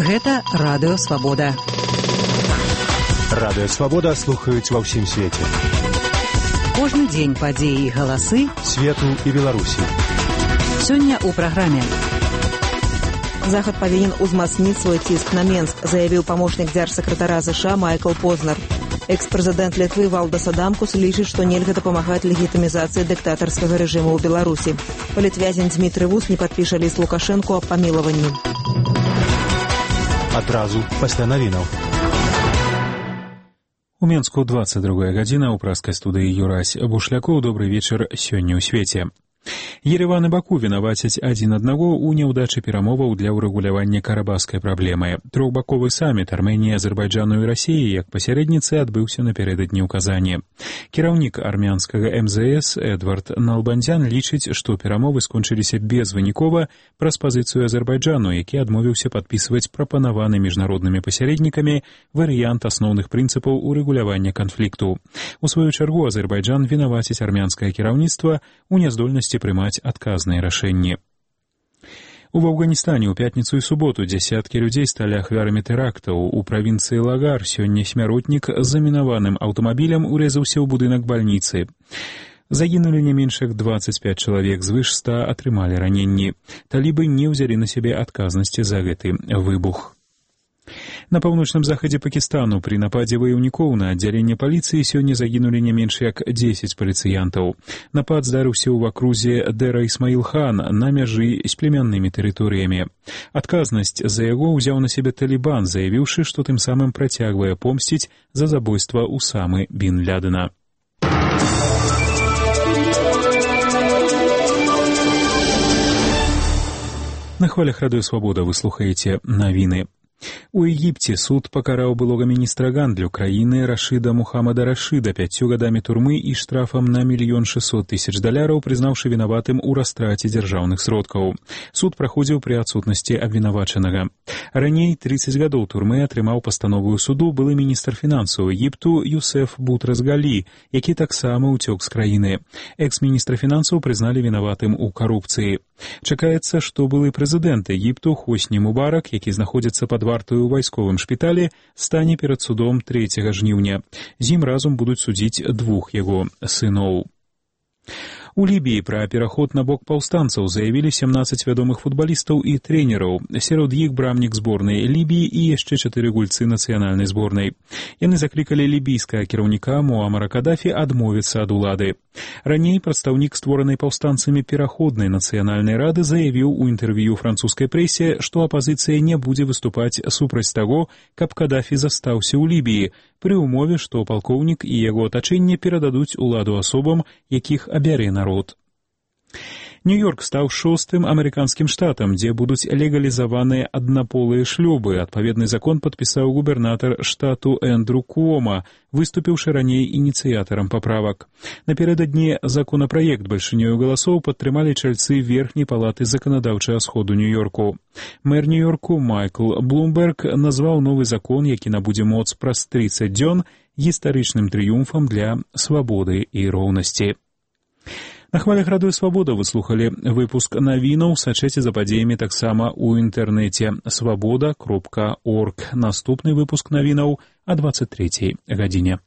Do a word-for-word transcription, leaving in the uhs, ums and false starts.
Гэта Радыё Свабода. Радыё Свабода слухаюць ва ўсім свеце. Кожны дзень падзеі і галасы свету і Беларусі. Сёння ў праграме. Захад павінен узмацніць свой ціск на Менск, заявіў памочнік дзяржсакратара ЗША Майкл Познер. Экс-прэзідэнт Літвы Валдас Адамкус лічыць, што нельга дапамагаць легітымізацыі дыктатарскага рэжыму ў Беларусі. Палітвязень Дмітрый Вус не падпіша ліст Лукашэнку аб памілаванні. Адразу пасля навінаў. У Менску двадцать другая гадзіна, у праскай студыі Юрась Бушлякоў. Добрый вечар сёння ў свеце. Ерэван і Баку вінавацяць адзін аднаго ў няўдачы перамоваў для ўрэгулявання карабахскай праблемы. Трохбаковы саміт Арменіі, Азербайджану і Расіі як пасярэдніцы адбыўся напярэдадні ў Казані. Кіраўнік армянскага эм зэ эс Эдвард Налбандзян лічыць, што перамовы скончыліся безвынікова праз пазіцыю Азербайджану, які адмовіўся падпісваць прапанаваны міжнароднымі пасярэднікамі варыянт асноўных прынцыпаў урэгулявання канфлікту. У сваю чаргу Азербайджан вінаваціць армянскае кіраўніцтва ў няздольнасці прымаць адказныя рашэнні. У Афганістане ў пятніцу і суботу дзясяткі людзей сталі ахвярамі тэрактаў. У правінцыі Лагар сёння смяротнік з замінаваным аўтамабілем урэзаўся ў будынак бальніцы. Загінулі не менш як двадцать пять чалавек, звыш ста атрымалі раненні. Талібы не ўзялі на сябе адказнасці за гэты выбух. На паўночным захадзе Пакістану пры нападзе ваяўнікоў на аддзяленне паліцыі сёння загінулі не менш як дзесяць паліцыянтаў. Напад здарыўся ў акрузе Дэра Ісмаіл-хан на мяжы з племяннымі тэрыторыямі. Адказнасць за яго ўзяў на сябе Талібан, заявіўшы, што тым самым працягвае помсціць за забойства Усамы бін Лядена. На хвалях Радыё Свабода вы слухаеце навіны. У Егіпце суд пакараў былога міністра гандлю краіны Рашыда Мухаммада Рашыда пяццю гадамі турмы і штрафам на мільён шэсцьсот тысяч даляраў, прызнаўшы вінаватым у растраце дзяржаўных сродкаў. Суд праходзіў пры адсутнасці абвінавачанага. Раней тридцать гадоў турмы атрымаў пастанову суду былы міністр фінансаў Егіпту Юсеф Бутразгалі, які таксама ўцёк з краіны. Экс-міністра фінансаў прызналі вінаватым у карупцыі. Чакаецца, што былы прэзідэнт Егіпту Хосні Мубарак, які знаходзіцца пад вартаю ў вайсковым шпіталі, стане перад судом трэцяга жніўня. З ім разам будуць судзіць двух яго сыноў. У Лібіі пра пераход на бок паўстанцаў заявілі семнадцать вядомых футбалістаў і трэнераў. Сярод іх брамнік зборнай Лібіі і яшчэ чатыры гульцы нацыянальнай зборнай. Яны заклікалі лібійскага кіраўніка Муамара Кадафі адмовіцца ад улады. Раней прадстаўнік створанай паўстанцамі пераходнай нацыянальнай рады заявіў у інтэрв'ю французскай прэсе, што апазіцыя не будзе выступаць супраць таго, каб Кадафі застаўся ў Лібіі, пры ўмове, што палкоўнік і яго атачэнне перададуць уладу асобам, якіх абярэ народ. Нью-Йорк стаў шостым амерыканскім штатам, дзе будуць легалізаваныя аднаполыя шлюбы. Адпаведны закон падпісаў губернатар штату Эндрю Куома, выступіўшы раней ініцыятарам паправак. Напярэдадні законапраект бальшынёю галасоў падтрымалі чальцы верхняй палаты заканадаўчага сходу Нью-Йорку. Мэр Нью-Йорку Майкл Блумберг назваў новы закон, які набудзе моц праз тридцать дзён, гістарычным трыумфам для свабоды і роўнасці. На хвалях Радыё Свабода вы слухалі выпуск навінаў, сачэце за падзеямі таксама ў інтэрнэце свабода кропка орг. Наступны выпуск навінаў о двадцать трэцяй гадзіне.